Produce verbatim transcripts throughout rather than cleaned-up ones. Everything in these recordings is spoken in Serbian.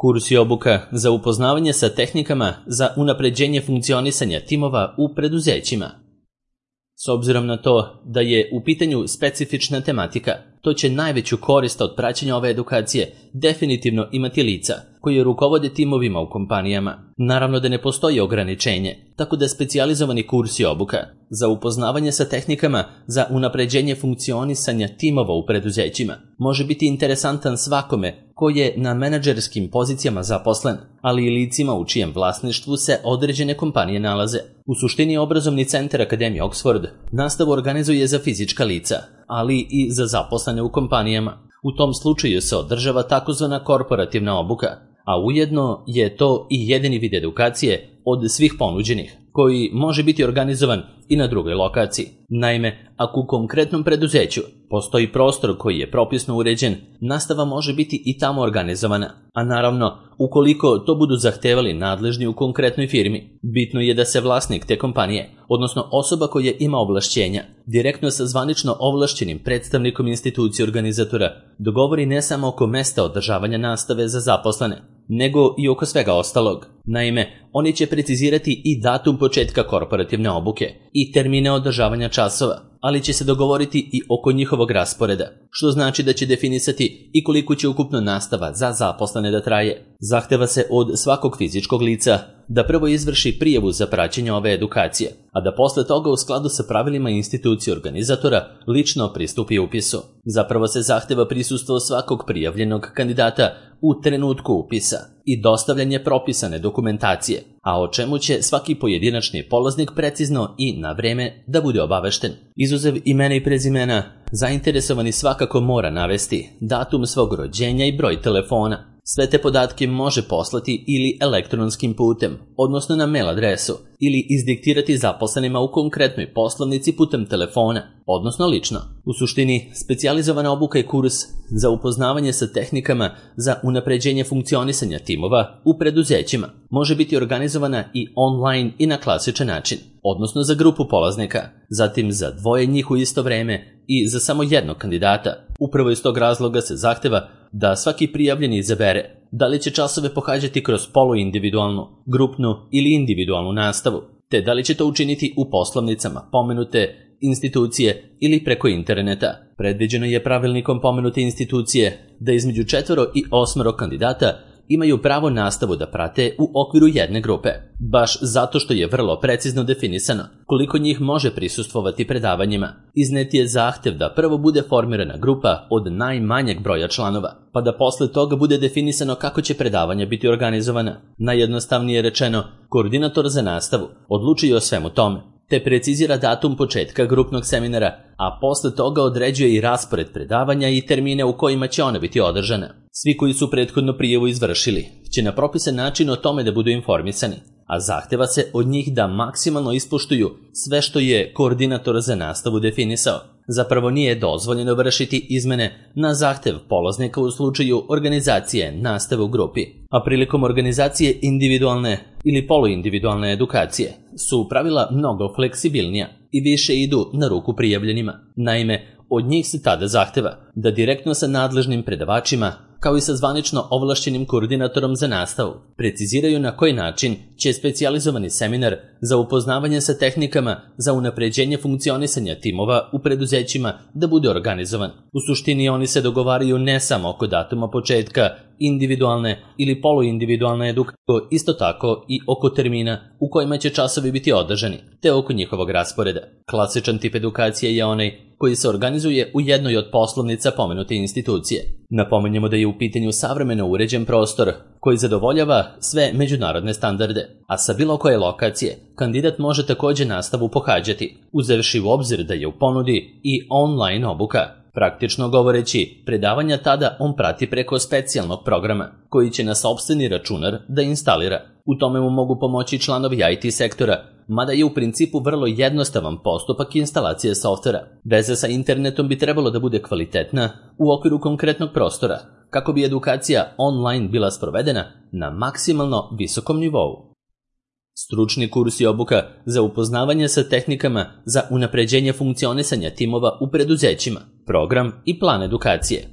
Kurs i obuka za upoznavanje sa tehnikama za unapređenje funkcionisanja timova u preduzećima. S obzirom na to da je u pitanju specifična tematika, to će najveću korist od praćenja ove edukacije definitivno imati lica koji rukovode timovima u kompanijama. Naravno da ne postoji ograničenje, tako da specijalizovani kurs i obuka za upoznavanje sa tehnikama za unapređenje funkcionisanja timova u preduzećima može biti interesantan svakome ko je na menadžerskim pozicijama zaposlen, ali i licima u čijem vlasništvu se određene kompanije nalaze. U suštini obrazovni centar Akademije Oxford nastavu organizuje za fizička lica, ali i za zaposlene u kompanijama. U tom slučaju se održava takozvana korporativna obuka, a ujedno je to i jedini vid edukacije od svih ponuđenih, koji može biti organizovan i na drugoj lokaciji. Naime, ako u konkretnom preduzeću postoji prostor koji je propisno uređen, nastava može biti i tamo organizovana, a naravno, ukoliko to budu zahtevali nadležni u konkretnoj firmi, bitno je da se vlasnik te kompanije, odnosno osoba koja ima ovlašćenja, direktno sa zvanično ovlašćenim predstavnikom institucije organizatora, dogovori ne samo oko mesta održavanja nastave za zaposlene, nego i oko svega ostalog. Naime, oni će precizirati i datum početka korporativne obuke i termine održavanja časova, ali će se dogovoriti i oko njihovog rasporeda, što znači da će definisati i koliko će ukupno nastava za zaposlene da traje. Zahteva se od svakog fizičkog lica da prvo izvrši prijavu za praćenje ove edukacije, a da posle toga u skladu sa pravilima institucije organizatora lično pristupi upisu. Zapravo se zahteva prisustvo svakog prijavljenog kandidata u trenutku upisa i dostavljanje propisane dokumentacije, a o čemu će svaki pojedinačni polaznik precizno i na vreme da bude obavešten. Izuzev imena i prezimena, zainteresovani svakako mora navesti datum svog rođenja i broj telefona. Sve te podatke može poslati ili elektronskim putem, odnosno na mail adresu, ili izdiktirati zaposlenima u konkretnoj poslovnici putem telefona, odnosno lično. U suštini, specijalizovana obuka i kurs za upoznavanje sa tehnikama za unapređenje funkcionisanja timova u preduzećima može biti organizovana i online i na klasičan način, odnosno za grupu polaznika, zatim za dvoje njih u isto vreme i za samo jednog kandidata. Upravo iz tog razloga se zahteva da svaki prijavljeni izabere da li će časove pohađati kroz poluindividualnu, grupnu ili individualnu nastavu, te da li će to učiniti u poslovnicama pomenute institucije ili preko interneta. Predviđeno je pravilnikom pomenute institucije da između četvoro i osmoro kandidata imaju pravo nastavu da prate u okviru jedne grupe, baš zato što je vrlo precizno definisano koliko njih može prisustvovati predavanjima. Iznet je zahtev da prvo bude formirana grupa od najmanjeg broja članova, pa da posle toga bude definisano kako će predavanja biti organizovana. Najjednostavnije rečeno, koordinator za nastavu odlučuje o svemu tome, te precizira datum početka grupnog seminara, a posle toga određuje i raspored predavanja i termine u kojima će ona biti održana. Svi koji su prethodno prijavu izvršili će na propisan način o tome da budu informisani, a zahteva se od njih da maksimalno ispoštuju sve što je koordinator za nastavu definisao. Zapravo nije dozvoljeno vršiti izmene na zahtev polaznika u slučaju organizacije nastave u grupi, a prilikom organizacije individualne ili poluindividualne edukacije su pravila mnogo fleksibilnija i više idu na ruku prijavljenima. Naime, od njih se tada zahteva da direktno sa nadležnim predavačima, kao i sa zvanično ovlašćenim koordinatorom za nastavu, preciziraju na koji način će specijalizovani seminar za upoznavanje sa tehnikama za unapređenje funkcionisanja timova u preduzećima da bude organizovan. U suštini oni se dogovaraju ne samo oko datuma početka individualne ili poluindividualne edukacije, isto tako i oko termina u kojima će časovi biti održani, te oko njihovog rasporeda. Klasičan tip edukacije je onaj koji se organizuje u jednoj od poslovnica pomenute institucije. Napomenjemo da je u pitanju savremeno uređen prostor koji zadovoljava sve međunarodne standarde, a sa bilo koje lokacije kandidat može takođe nastavu pohađati, uzevši u obzir da je u ponudi i online obuka. Praktično govoreći, predavanja tada on prati preko specijalnog programa, koji će na sopstveni računar da instalira. U tome mu mogu pomoći članovi I T sektora, mada je u principu vrlo jednostavan postupak instalacije softvera. Veza sa internetom bi trebalo da bude kvalitetna u okviru konkretnog prostora, kako bi edukacija online bila sprovedena na maksimalno visokom nivou. Stručni kurs i obuka za upoznavanje sa tehnikama za unapređenje funkcionisanja timova u preduzećima, program i plan edukacije.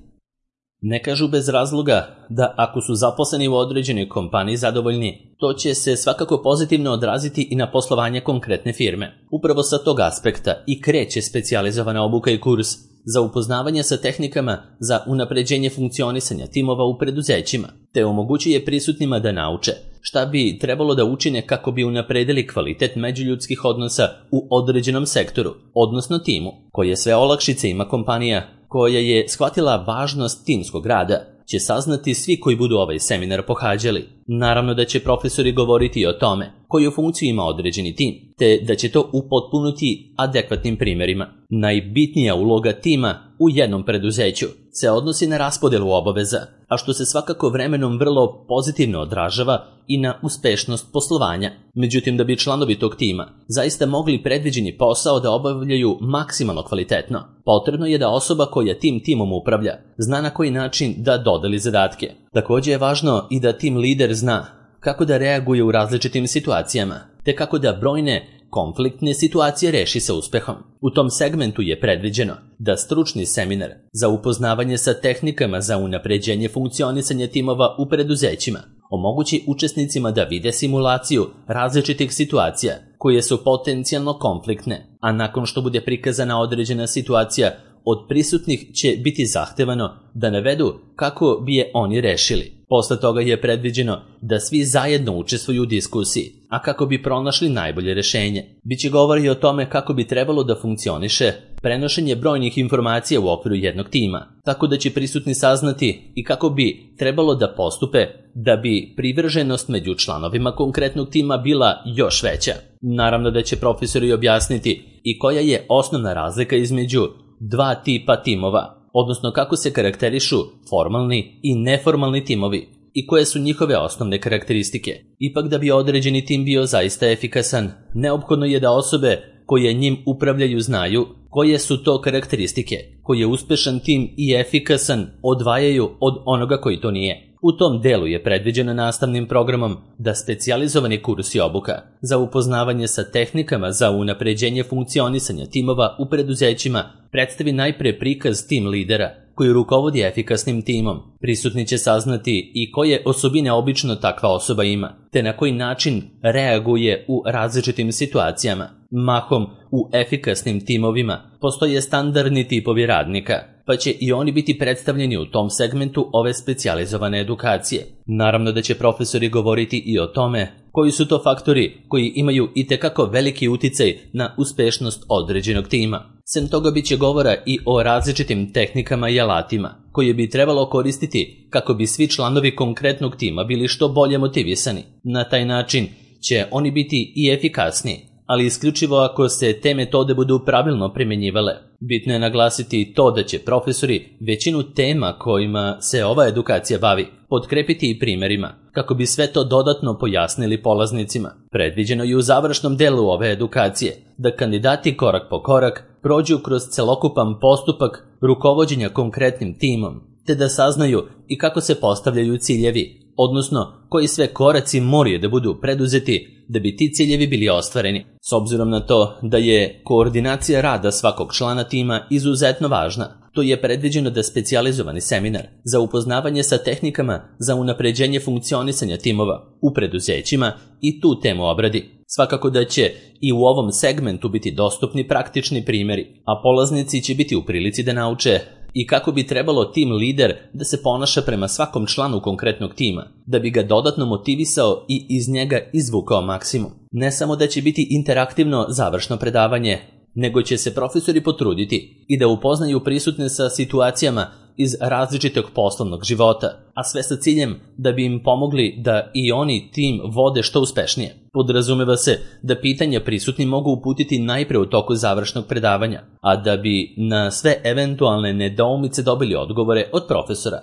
Ne kažu bez razloga da ako su zaposleni u određenoj kompaniji zadovoljni, to će se svakako pozitivno odraziti i na poslovanje konkretne firme. Upravo sa tog aspekta i kreće specijalizovana obuka i kurs za upoznavanje sa tehnikama za unapređenje funkcionisanja timova u preduzećima, te omogućuje prisutnima da nauče šta bi trebalo da učine kako bi unapredili kvalitet međuljudskih odnosa u određenom sektoru, odnosno timu. Koje sve olakšice ima kompanija koja je shvatila važnost timskog rada, će saznati svi koji budu ovaj seminar pohađali. Naravno da će profesori govoriti o tome koju funkciju ima određeni tim, te da će to upotpunuti adekvatnim primjerima. Najbitnija uloga tima u jednom preduzeću se odnosi na raspodelu obaveza, a što se svakako vremenom vrlo pozitivno odražava i na uspešnost poslovanja. Međutim, da bi članovi tog tima zaista mogli predviđeni posao da obavljaju maksimalno kvalitetno, potrebno je da osoba koja tim timom upravlja zna na koji način da dodeli zadatke. Također je važno i da tim lider zna kako da reaguje u različitim situacijama, te kako da brojne konfliktne situacije reši sa uspehom. U tom segmentu je predviđeno da stručni seminar za upoznavanje sa tehnikama za unapređenje funkcionisanja timova u preduzećima omogući učesnicima da vide simulaciju različitih situacija koje su potencijalno konfliktne, a nakon što bude prikazana određena situacija, od prisutnih će biti zahtevano da navedu kako bi je oni rešili. Posle toga je predviđeno da svi zajedno učestvuju u diskusiji, a kako bi pronašli najbolje rešenje. Biće govori o tome kako bi trebalo da funkcioniše prenošenje brojnih informacija u okviru jednog tima, tako da će prisutni saznati i kako bi trebalo da postupe da bi privrženost među članovima konkretnog tima bila još veća. Naravno da će profesori objasniti i koja je osnovna razlika između dva tipa timova, odnosno kako se karakterišu formalni i neformalni timovi i koje su njihove osnovne karakteristike. Ipak da bi određeni tim bio zaista efikasan, neophodno je da osobe koje njim upravljaju znaju koje su to karakteristike koje uspešan tim i efikasan odvajaju od onoga koji to nije. U tom delu je predviđeno nastavnim programom da specijalizovani kurs i obuka za upoznavanje sa tehnikama za unapređenje funkcionisanja timova u preduzećima predstavi najpre prikaz tim lidera koji rukovodi efikasnim timom. Prisutni će saznati i koje osobine obično takva osoba ima, te na koji način reaguje u različitim situacijama. Mahom u efikasnim timovima postoje standardni tipovi radnika, pa će i oni biti predstavljeni u tom segmentu ove specijalizovane edukacije. Naravno da će profesori govoriti i o tome koji su to faktori koji imaju itekako veliki uticaj na uspešnost određenog tima. Sem toga biće govora i o različitim tehnikama i alatima koje bi trebalo koristiti kako bi svi članovi konkretnog tima bili što bolje motivisani. Na taj način će oni biti i efikasniji, ali isključivo ako se te metode budu pravilno primjenjivale. Bitno je naglasiti to da će profesori većinu tema kojima se ova edukacija bavi potkrepiti i primjerima, kako bi sve to dodatno pojasnili polaznicima. Predviđeno je u završnom delu ove edukacije da kandidati korak po korak prođu kroz celokupan postupak rukovođenja konkretnim timom, te da saznaju i kako se postavljaju ciljevi, odnosno koji sve koraci moraju da budu preduzeti da bi ti ciljevi bili ostvareni. S obzirom na to da je koordinacija rada svakog člana tima izuzetno važna, to je predviđeno da specijalizovani seminar za upoznavanje sa tehnikama za unapređenje funkcionisanja timova u preduzećima i tu temu obradi. Svakako da će i u ovom segmentu biti dostupni praktični primjeri, a polaznici će biti u prilici da nauče i kako bi trebalo tim lider da se ponaša prema svakom članu konkretnog tima, da bi ga dodatno motivisao i iz njega izvukao maksimum. Ne samo da će biti interaktivno završno predavanje, nego će se profesori potruditi i da upoznaju prisutne sa situacijama iz različitog poslovnog života, a sve sa ciljem da bi im pomogli da i oni tim vode što uspešnije. Podrazumeva se da pitanja prisutni mogu uputiti najpre u toku završnog predavanja, a da bi na sve eventualne nedoumice dobili odgovore od profesora.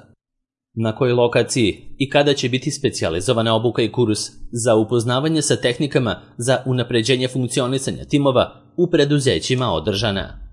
Na kojoj lokaciji i kada će biti specijalizovana obuka i kurs za upoznavanje sa tehnikama za unapređenje funkcionisanja timova u preduzećima održana?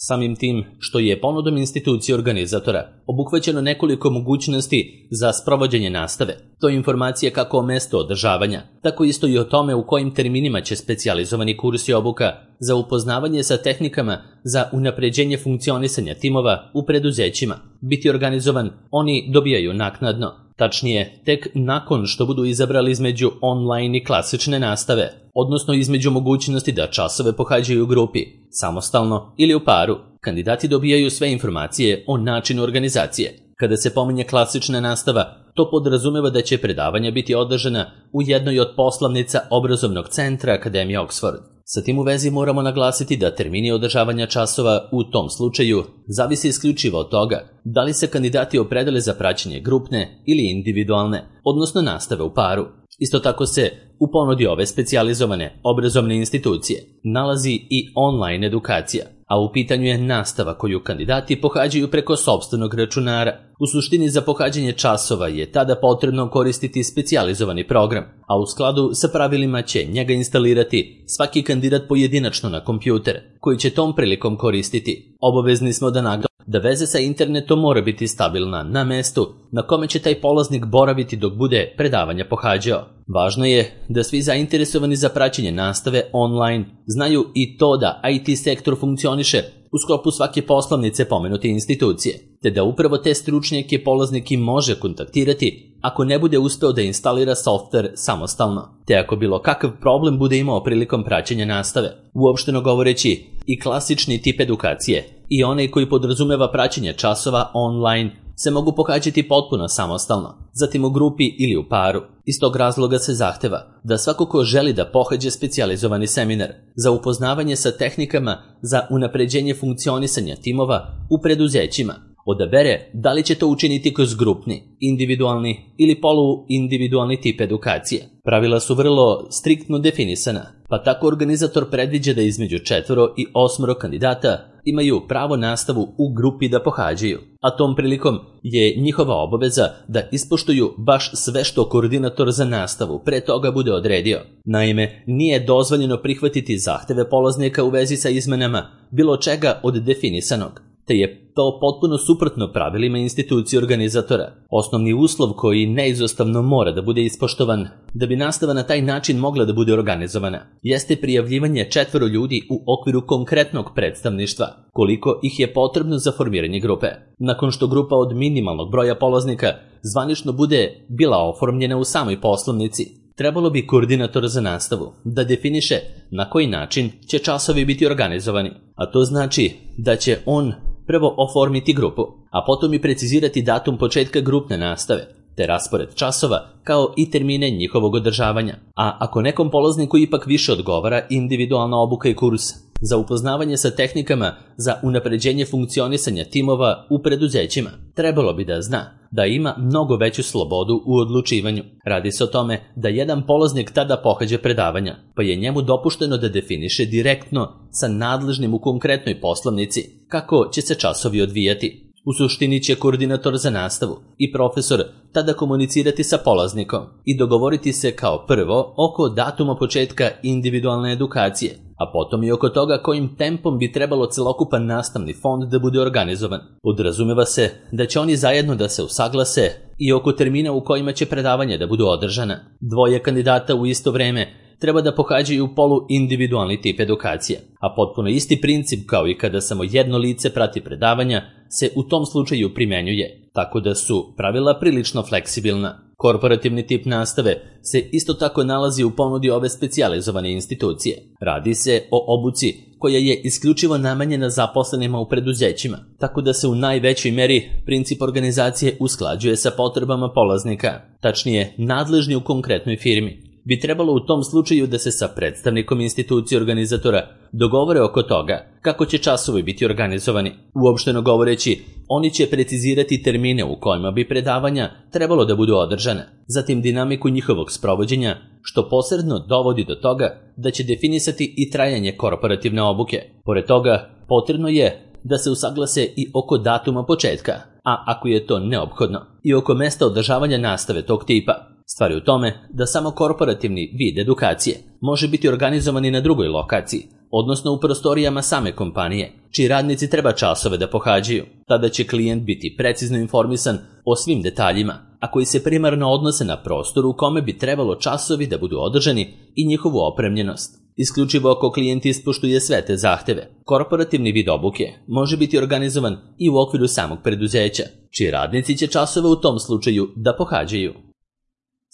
Samim tim što je ponudom institucije organizatora obuhvaćeno nekoliko mogućnosti za sprovođenje nastave, to je informacije kako o mestu održavanja, tako isto i o tome u kojim terminima će specijalizovani kurs i obuka za upoznavanje sa tehnikama za unapređenje funkcionisanja timova u preduzećima biti organizovan, oni dobijaju naknadno. Tačnije, tek nakon što budu izabrali između online i klasične nastave, odnosno između mogućnosti da časove pohađaju u grupi, samostalno ili u paru. Kandidati dobijaju sve informacije o načinu organizacije. Kada se pominje klasična nastava, to podrazumeva da će predavanja biti održana u jednoj od poslovnica obrazovnog centra Akademije Oxford. Sa tim u vezi moramo naglasiti da termini održavanja časova u tom slučaju zavisi isključivo od toga da li se kandidati opredele za praćenje grupne ili individualne, odnosno nastave u paru. Isto tako se u ponudi ove specijalizovane obrazovne institucije nalazi i online edukacija, a u pitanju je nastava koju kandidati pohađaju preko sopstvenog računara. U suštini za pohađanje časova je tada potrebno koristiti specijalizovani program, a u skladu sa pravilima će njega instalirati svaki kandidat pojedinačno na kompjuter, koji će tom prilikom koristiti. Obavezni smo da naglasimo da veze sa internetom mora biti stabilna na mestu na kome će taj polaznik boraviti dok bude predavanja pohađao. Važno je da svi zainteresovani za praćenje nastave online znaju i to da I T sektor funkcioniše u sklopu svake poslovnice pomenute institucije, te da upravo te stručnjake polaznik i može kontaktirati ako ne bude uspeo da instalira softver samostalno, te ako bilo kakav problem bude imao prilikom praćenja nastave. Uopšteno govoreći, i klasični tip edukacije i onaj koji podrazumeva praćenje časova online se mogu pohađati potpuno samostalno, zatim u grupi ili u paru. Iz tog razloga se zahteva da svako ko želi da pohađe specijalizovani seminar za upoznavanje sa tehnikama za unapređenje funkcionisanja timova u preduzećima odabere da li će to učiniti kroz grupni, individualni ili poluindividualni tip edukacije. Pravila su vrlo striktno definisana, pa tako organizator predviđa da između četvoro i osmoro kandidata imaju pravo nastavu u grupi da pohađaju, a tom prilikom je njihova obaveza da ispoštuju baš sve što koordinator za nastavu pre toga bude odredio. Naime, nije dozvoljeno prihvatiti zahteve polaznika u vezi sa izmenama bilo čega od definisanog, te je to potpuno suprotno pravilima institucije organizatora. Osnovni uslov koji neizostavno mora da bude ispoštovan da bi nastava na taj način mogla da bude organizovana jeste prijavljivanje četvoro ljudi u okviru konkretnog predstavništva, koliko ih je potrebno za formiranje grupe. Nakon što grupa od minimalnog broja polaznika zvanično bude bila oformljena u samoj poslovnici, trebalo bi koordinator za nastavu da definiše na koji način će časovi biti organizovani, a to znači da će on prvo oformiti grupu, a potom i precizirati datum početka grupne nastave, te raspored časova kao i termine njihovog održavanja. A ako nekom polazniku ipak više odgovara individualna obuka i kurs za upoznavanje sa tehnikama za unapređenje funkcionisanja timova u preduzećima, trebalo bi da zna da ima mnogo veću slobodu u odlučivanju. Radi se o tome da jedan polaznik tada pohađa predavanja, pa je njemu dopušteno da definiše direktno sa nadležnim u konkretnoj poslovnici kako će se časovi odvijati. U suštini će koordinator za nastavu i profesor tada komunicirati sa polaznikom i dogovoriti se kao prvo oko datuma početka individualne edukacije, a potom i oko toga kojim tempom bi trebalo celokupan nastavni fond da bude organizovan. Podrazumeva se da će oni zajedno da se usaglase i oko termina u kojima će predavanja da budu održana. Dvoje kandidata u isto vreme treba da pohađaju poluindividualni tip edukacije, a potpuno isti princip kao i kada samo jedno lice prati predavanja se u tom slučaju primenjuje, tako da su pravila prilično fleksibilna. Korporativni tip nastave se isto tako nalazi u ponudi ove specijalizovane institucije. Radi se o obuci koja je isključivo namenjena zaposlenima u preduzećima, tako da se u najvećoj meri princip organizacije usklađuje sa potrebama polaznika, tačnije nadležni u konkretnoj firmi. Bi trebalo u tom slučaju da se sa predstavnikom institucije organizatora dogovore oko toga kako će časovi biti organizovani. Uopšteno govoreći, oni će precizirati termine u kojima bi predavanja trebalo da budu održane, zatim dinamiku njihovog sprovođenja, što posredno dovodi do toga da će definisati i trajanje korporativne obuke. Pored toga, potrebno je da se usaglase i oko datuma početka, a ako je to neophodno, i oko mesta održavanja nastave tog tipa. Stvar je u tome da samo korporativni vid edukacije može biti organizovan i na drugoj lokaciji, odnosno u prostorijama same kompanije, čiji radnici treba časove da pohađaju. Tada će klijent biti precizno informisan o svim detaljima, a koji se primarno odnose na prostor u kome bi trebalo časovi da budu održani i njihovu opremljenost. isključivo ako klijent ispoštuje sve te zahteve. Korporativni vid obuke može biti organizovan i u okviru samog preduzeća, čiji radnici će časove u tom slučaju da pohađaju.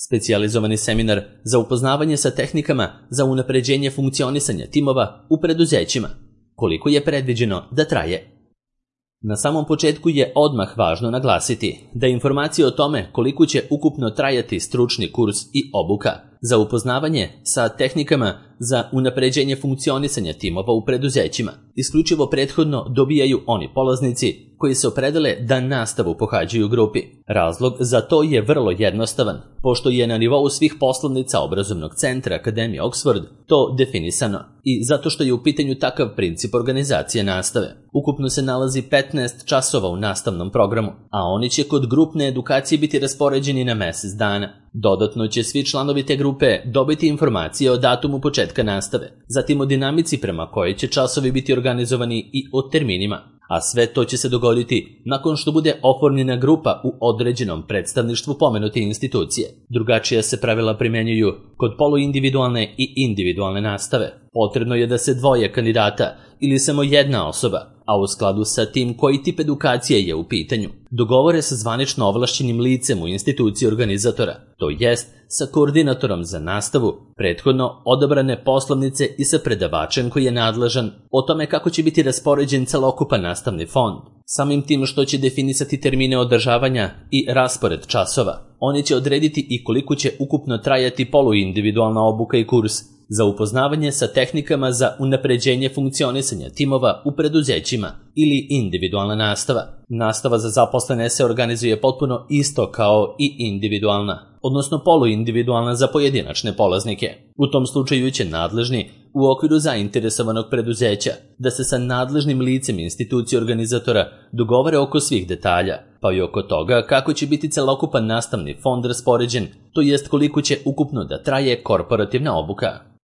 Specijalizovani seminar za upoznavanje sa tehnikama za unapređenje funkcionisanja timova u preduzećima. Koliko je predviđeno da traje? Na samom početku je odmah važno naglasiti da informacije o tome koliko će ukupno trajati stručni kurs i obuka za upoznavanje sa tehnikama za unapređenje funkcionisanja timova u preduzećima isključivo prethodno dobijaju oni polaznici koji se opredele da nastavu pohađaju u grupi. Razlog za to je vrlo jednostavan, pošto je na nivou svih poslovnica obrazovnog centra Akademije Oxford to definisano i zato što je u pitanju takav princip organizacije nastave. Ukupno se nalazi petnaest časova u nastavnom programu, a oni će kod grupne edukacije biti raspoređeni na mesec dana. Dodatno će svi članovi te grupe dobiti informacije o datumu početka nastave, zatim o dinamici prema kojoj će časovi biti organizovani i o terminima, a sve to će se dogoditi nakon što bude oformljena grupa u određenom predstavništvu pomenute institucije. Drugačija se pravila primenjuju kod poluindividualne i individualne nastave. Potrebno je da se dvoje kandidata ili samo jedna osoba, a u skladu sa tim koji tip edukacije je u pitanju, dogovore sa zvanično ovlašćenim licem u instituciji organizatora, to jest sa koordinatorom za nastavu, prethodno odabrane poslovnice i sa predavačem koji je nadležan o tome kako će biti raspoređen celokupan nastavni fond. Samim tim što će definisati termine održavanja i raspored časova, oni će odrediti i koliko će ukupno trajati poluindividualna obuka i kurs za upoznavanje sa tehnikama za unapređenje funkcionisanja timova u preduzećima ili individualna nastava. Nastava za zaposlene se organizuje potpuno isto kao i individualna, odnosno poluindividualna za pojedinačne polaznike. U tom slučaju će nadležni u okviru zainteresovanog preduzeća da se sa nadležnim licem institucije organizatora dogovore oko svih detalja, pa i oko toga kako će biti celokupan nastavni fond raspoređen, to jest koliko će ukupno da traje korporativna obuka.